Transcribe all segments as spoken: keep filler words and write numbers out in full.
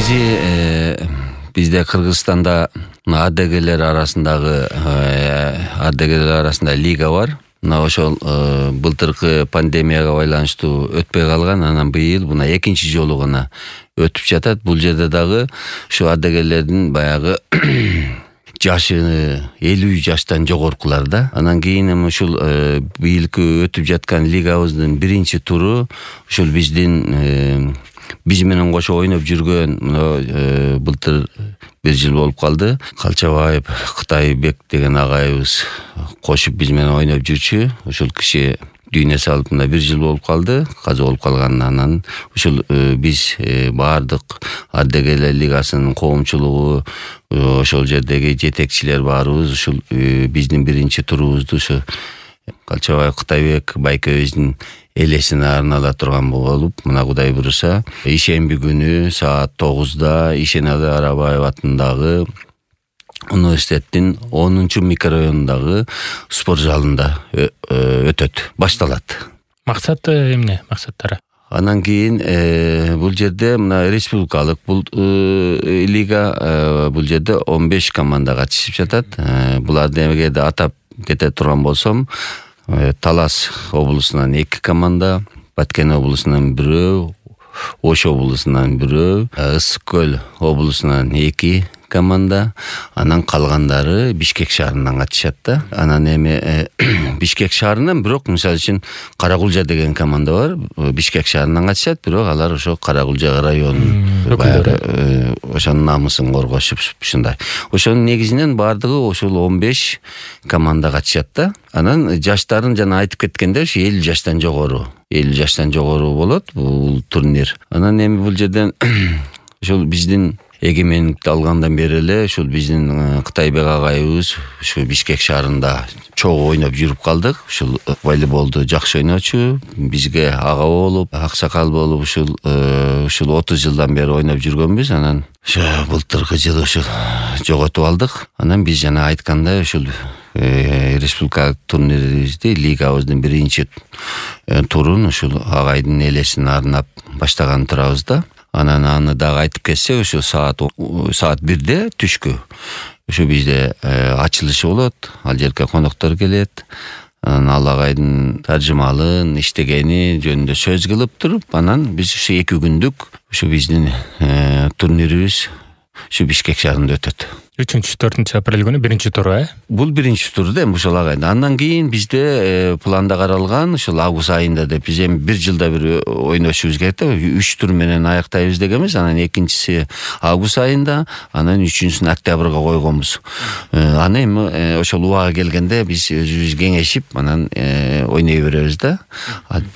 негизи бизде Кыргызстанда адегелер арасындагы адегелер арасында лига бар. Мына ошол былтыркы пандемияга байланыштуу өтпөй калган, анан быйыл мына экинчи жолу гана өтүп жатат. Бул жерде дагы ушу адегелердин баягы жашы элүү жаштан жогоркулар да. Анан кийин эми ушул быйылкы өтүп жаткан лигабыздын биринчи туру ушул биздин биз менен кошо ойноп жүргөн мына былтыр бир жыл болуп калды. Калчабаев Кытайбек деген агайыбыз кошуп биз менен ойноп жүрчү. Ушул киши дүйнө салып мына бир жыл болуп калды. Каза болуп калганынан ушул биз баардык адегелер лигасынын коомчулугу ошол жердеги жетекчилер баарыбыз ушул биздин биринчи турубузду ушу Калчабаев Кытайбек байкебиздин элесине арнала турган болуп, мына Кудай буюрса, ишемби күнү саат тогузда Ишенали Арабаев атындагы университеттин онунчу микрорайонундагы спорт залында өтөт, башталат. Максаты эмне? Максаттары? Анан кийин бул жерде мына республикалык бул лига, бул жерде он беш команда катышып жатат. Буларды эгерде атап кете турган болсом, Талас облусунан эки команда, Баткен облусунан бирөө, Ош облусунан бирөө, Ысык көл облусунан эки команда, анан калгандары Бишкек шаарынан катышат да. Анан эми Бишкек шаарынан бирок мисалы үчүн Каракулжа деген команда бар. Бишкек шаарынан катышат, бирок алар ошо Каракулжа районунун баягы ошонун намысын коргошуп ушундай. Ошонун негизинен баардыгы ошол он беш команда катышат да. Анан жаштарын жана айтып кеткенде ушу элүү жаштан жогору, элүү жаштан жогору болот бул турнир. Анан эми бул жерден ошол биздин эгемендикти алгандан бери эле ушул биздин Кытайбек агайыбыз ушу Бишкек шаарында чогуу ойноп жүрүп калдык. Ушул волейболду жакшы ойночу, бизге ага болуп, аксакал болуп ушул ушул отуз жылдан бери ойноп жүргөнбүз. Анан ошо былтыркы жылы ушул жоготуп алдык. Анан биз жана айткандай ушул республикалык турнирибизди, лигабыздын биринчи турун ушул агайдын элесине арнап баштаган турабыз да. Анан аны дагы айтып кетсек, ушу саат саат бирде түшкү ушу бизде ачылышы болот. Ал жерге коноктор келет. Анан ал агайдын таржымалын иштегени жөнүндө сөз кылып туруп, анан биз ушу эки күндүк ушу биздин турнирибиз ушу Бишкек шаарында өтөт. үчүнчү төртүнчү апрель күнү биринчи туру, э? Бул биринчи тур да, ушул агайда. Андан кийин бизде планда каралган ушул август айында деп биз эми бир жылда бир ойношубуз керек да. үч тур менен аяктайбыз дегенбиз. Анан экинчиси август айында, анан үчүнчүсүн октябрга койгонбуз. Аны эми ошол убага келгенде биз өзүбүз кеңешип, анан ойной беребиз да.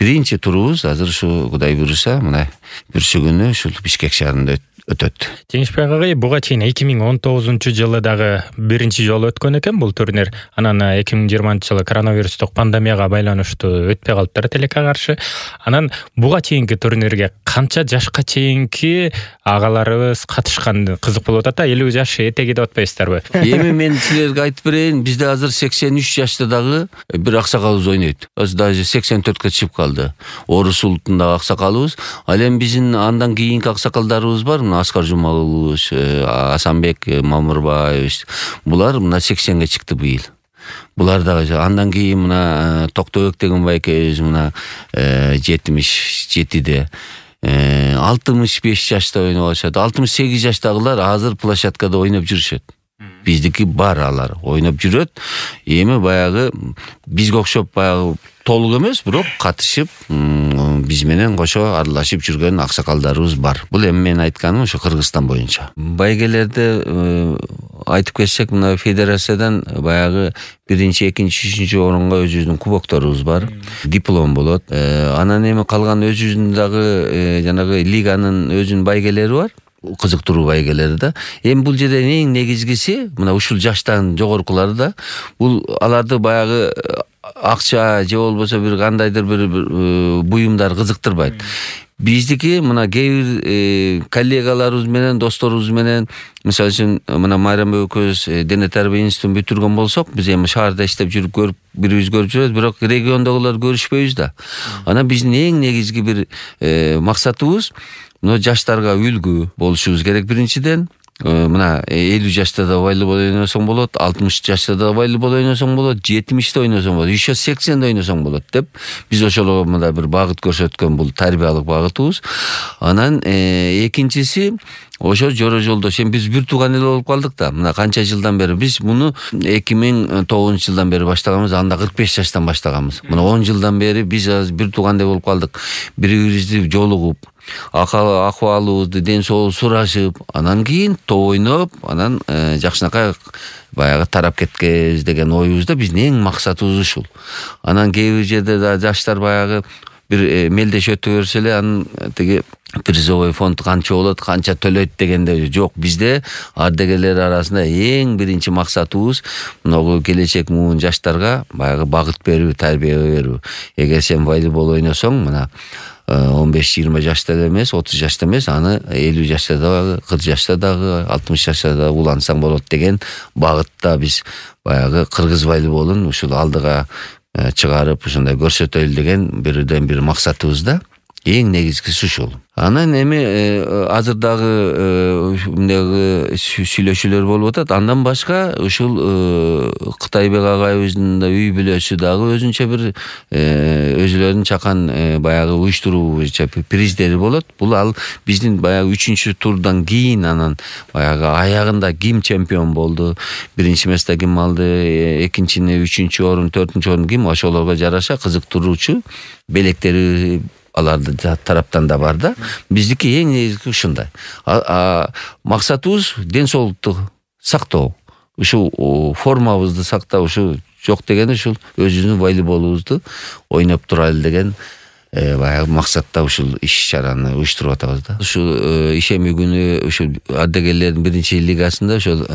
Биринчи турубуз азыр ушу Кудай буюрса, мына бүрсү күнү ушул Бишкек шаарында өтөт. Жеңишбек агай, буга чейин эки миң он тогузунчу жылы дагы биринчи жолу өткөн экен бул турнир. Анан эки миң жыйырманчы жылы коронавирустук пандемияга байланыштуу өтпөй калыптыр тилекке каршы. Анан буга чейинки турнирге канча жашка чейинки агаларыбыз катышкан? Кызык болуп атат да, элүү жаш этеги деп атпайсыздарбы? Эми мен силерге айтып берейин, бизде азыр сексен үч жашта дагы бир аксакалыбыз ойнойт. Азыр даже сексен төрткө чыгып калды. Орус улутундагы аксакалыбыз. Ал эми биздин андан кийинки аксакалдарыбыз бар. Аскар Жумагулович, Асанбек Мамырбаевич, булар мына сексенге чыкты быйыл. Булар дагы андан кийин мына Токтобек деген байкебиз мына жетимиш жетиде, алтымыш беш жашта ойноп атышат. алтымыш сегиз жаштагылар азыр площадкада ойноп жүрүшөт. Биздики бар, алар ойноп жүрөт. Эми баягы бизге окшоп баягы толук эмес, бирок катышып биз менен кошо аралашып жүргөн аксакалдарыбыз бар. Бул эми мен айтканым ошо Кыргызстан боюнча. Байгелерде айтып кетсек, мына федерациядан баягы биринчи, экинчи, үчүнчү орунга өзүбүздүн кубокторубуз бар, диплом болот. Анан эми калган өзүбүздүн дагы жанагы лиганын өзүнүн байгелери бар. Кызыктыруу байгелери да. Эми бул жерде эң негизгиси мына ушул жаштан жогоркулары да, бул аларды баягы акча же болбосо бир кандайдыр бир буюмдар кызыктырбайт. Биздики мына кээ бир коллегаларыбыз менен, досторубуз менен, мисалы үчүн мына Майрам экөөбүз дене тарбия институтун бүтүргөн болсок, биз эми шаарда иштеп жүрүп көрүп, бирибиз көрүп жүрөбүз, бирок региондогулар көрүшпөйбүз да. Анан биздин эң негизги бир максатыбыз мына жаштарга үлгү болушубуз керек биринчиден. Мына элүү жашта да волейбол ойносоң болот, алтымыш жашта да волейбол ойносоң болот, жетимиште ойносоң болот, еще сексенде ойносоң болот деп биз ошолго мында бир багыт көрсөткөн бул тарбиялык багытыбыз. Анан экинчиси ошо жора жолдош. Эми биз бир тууган эле болуп калдык да. Мына канча жылдан бери биз муну эки миң тогузунчу жылдан бери баштаганбыз, анда кырк беш жаштан баштаганбыз. Мына он жылдан бери биз бир туугандай болуп калдык. Бири-бирибизди жолугуп, акыбалыбызды, ден соолук сурашып, анан кийин топ ойноп, анан жакшынакай баягы тарап кеткенбиз деген оюбузда биздин эң максатыбыз ушул. Анан кээ бир жерде да жаштар баягы бир мелдеш өтө берсе эле, анан тиги призовой фонд канча болот, канча төлөйт дегенде жок. Бизде ардагерлер арасында эң биринчи максатыбыз могу келечек муун жаштарга баягы багыт берүү, тарбия берүү. Эгер сен волейбол ойносоң, мына он беш жыйырма жашта эле эмес, отуз жашта эмес, аны элүү жашта дагы, кырк жашта дагы, алтымыш жашта да улансаң болот деген багытта биз баягы кыргыз волейболун ушул алдыга чыгарып, ушундай көрсөтөлү деген бирден бир максатыбыз да. Эң негизгиси ушул. Анан эми азыр дагы мындагы сүйлөшүүлөр болуп атат. Андан башка ушул Кытайбек агайыбыздын да үй бүлөсү дагы өзүнчө бир өзүлөрүнүн чакан баягы уюштуруу боюнча приздери болот. Бул ал биздин баягы үчүнчү турдан кийин анан баягы аягында ким чемпион болду, биринчи место ким алды, экинчини, үчүнчү орун, төртүнчү орун ким, ошолорго жараша кызыктыруучу белектери аларды тараптан да бар да. Биздики эң негизги ушундай. Максатыбыз ден соолукту сактоо. Ушул формабызды сактап, ушул жок дегени ушул өзүбүздүн волейболубузду ойноп турайлы деген баягы максатта ушул иш-чараны уюштуруп атабыз да. Ушул ишемби күнү ушул ардагерлердин биринчи лигасында ушул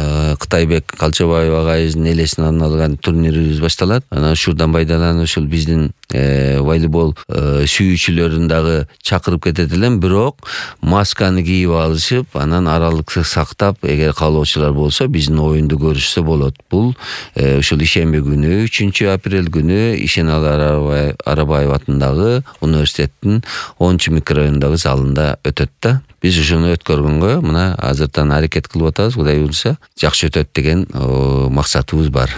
Кытайбек Калчабаев агайыбыздын элесине арналган турнирибиз башталат. Анан ушурдан пайдаланып ушул биздин волейбол сүйүүчүлөрүн дагы чакырып кетет элем, бирок масканы кийип алышып, анан аралыкты сактап, эгер каалоочулар болсо биздин оюнду көрүшсө болот. Бул ушул ишемби күнү, үчүнчү апрель күнү Ишеналы Арабаев атындагы университеттин онунчу микрорайондагы залында өтөт да. Биз ушуну өткөргөнгө мына азыртан аракет кылып атабыз. Кудай буйрса жакшы өтөт деген максатыбыз бар.